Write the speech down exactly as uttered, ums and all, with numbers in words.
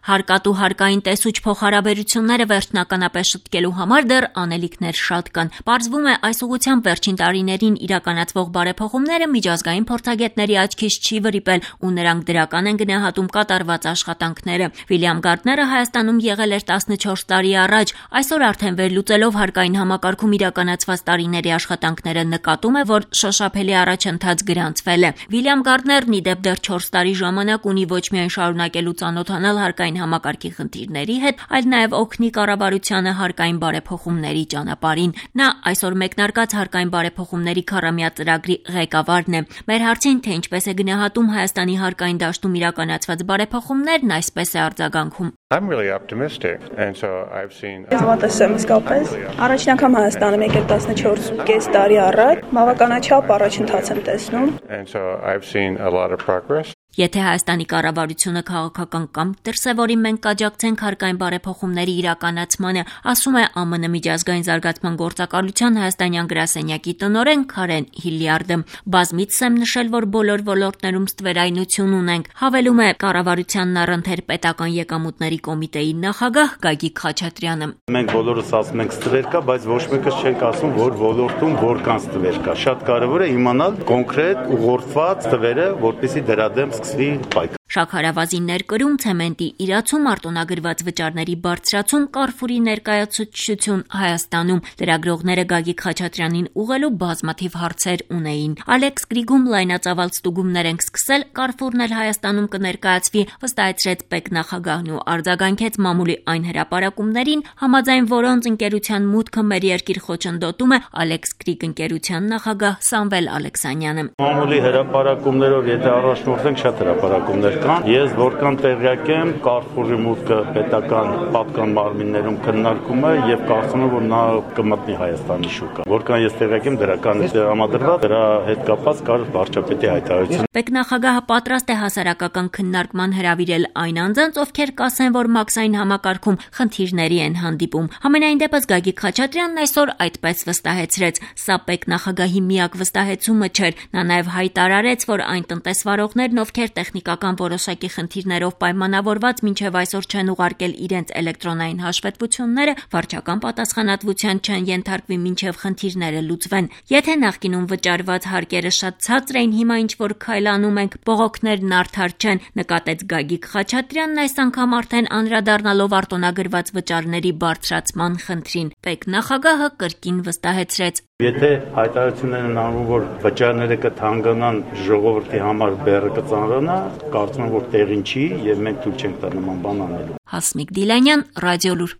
Հարկատու հարկային տեսուչ փոխհարաբերությունները վերջնականապես շտկելու համար դեռ անելիքներ շատ կան։ Պարզվում է, այս ուղղությամբ վերջին տարիներին իրականացվող բարեփոխումները միջազգային փորձագետների աչքից չի վրիպել ու նրանք դրական են գնահատում կատարված աշխատանքները։ Վիլյամ Գարդները Հայաստանում եղել էր տասնչորս տարի առաջ, այսօր արդեն վերլուծելով հարկային համակարգում իրականացված տարիների աշխատանքները նկատում է, որ շոշափելի առաջընթաց գրանցվել է։ Վիլյամ Գարդներն ի դեպ դեռ չորս տարի ժամանակ ունի ոչ միայն շարունակելու ծանոթանալ հարկային համակարգի խնդիրների հետ, այլ նաև օգնի կառավարությանը հարկային բարեփոխումների ճանապարհին։ Նա այսօր մեկնարկած հարկային բարեփոխումների քառամյա ծրագրի ղեկավարն է։ Մեր հարցին, թե ինչպես է գնահատում Հայաստանի հարկային դաշտում իրականացված բարեփոխումներն, այսպես է արձագանքում. I'm really optimistic and so I've seen Ես մոտս եմ իսկապես առաջին անգամ Հայաստանում եկել տասնչորս ու կես տարի առաջ, բավականաչափ առաջընթաց եմ տեսնում. And so I've seen a lot of progress. Եթե Հայաստանի կառավարությունը քաղաքական կամ դրսևորի մենք կաջակցենք հարկային բարեփոխումների իրականացմանը, ասում է Ա Մ Ն միջազգային զարգացման գործակալության հայաստանյան գրասենյակի տնօրեն Քարեն Հիլյարդը։ Բազմիցս եմ նշել, որ բոլոր ոլորտներում ստվերայնություն ունենք, հավելում է կառավարությանն առընթեր պետական եկամուտների կոմիտեի նախագահ Գագիկ Խաչատրյանը։ Մենք բոլորս ասում ենք ստվեր կա, բայց ոչ մեկս չենք ասում, որ ոլորտում որքան ստվեր կա։ Շատ կարևոր է իմանալ կոնկրետ ուղղորդված ստվերը, որպեսզի դրա դեմ սկսվի պայքար։ Շաքարավազի ներկրում, ցեմենտի իրացում, արտոնագրված վճարների բարձրացում, Կարֆուրի ներկայացուցչություն Հայաստանում։ Լրագրողները Գագիկ Խաչատրյանին ուղղելու բազմաթիվ հարցեր ունեին։ Ալեքս Գրիգում լայնածավալ ստուգումներ ենք սկսել, Կարֆուրն էլ Հայաստանում կներկայացվի, վստահեցրեց պետնախագահն ու արձագանքեց մամուլի այն հրապարակումներին, համաձայն որոնց ընկերության մուտքը մեր երկիր խոչընդոտում է Ալեքս Գրիգ ընկերության նախագահ Սամվել Ալեքսանյանը։ Մամուլի հրապարակումներով եթե առաջնորդենք, շատ հրապարակումներ կան։ Ես որքան տեղյակ եմ, Կարֆուրի մուտքը պետական պատկան մարմիններում քննարկում է եւ կարծում եմ, որ նա կմտնի Հայաստանի շուկա։ Որքան ես տեղյակ եմ, դրական է համադրված, դրա հետ կապված կար վարչապետի հայտարարություն։ Պետնախագահը պատրաստ է հասարակական քննարկման հրավիրել այն անձանց, ովքեր կասեն, որ մաքսային համակարգում խնդիրների են հանդիպում։ Համենայն դեպս Գագիկ Խաչատրյանն այսօր այդպես վստահեցրեց։ Սա պետնախագահի միակ վստահեցումը չէր։ Նա նաև հայտարարեց, որ այն տնտեսվարողներն, ովքեր տեխնիկական որոշակի խնդիրներով պայմանավորված մինչև այսօր չեն ուղարկել իրենց էլեկտրոնային հաշվետվությունները, վարչական պատասխանատվության չեն ենթարկվի մինչև խնդիրները լուծվեն։ Եթե նախկինում վճարված հարկերը շատ ցածր էին, հիմա ինչ որ քայլանում ենք, բողոքներն արդար չեն, նկատեց Գագիկ Խաչատրյանն այս անգամ արդեն անդրադառնալով արտոնագրված վճարների բարձրացման խնդրին։ Պետնախագահը կրկին վստահեցրեց. Եթե հայտարարություններ են անում, որ վճարները կթանկանան, ժողովրդի համար բեռը կծանրանա, կարծում եմ, որ տեղին չի եւ մենք ցույց չենք տա նման բան անելու։ Հասմիկ Դիլանյան, Ռադիոլուր։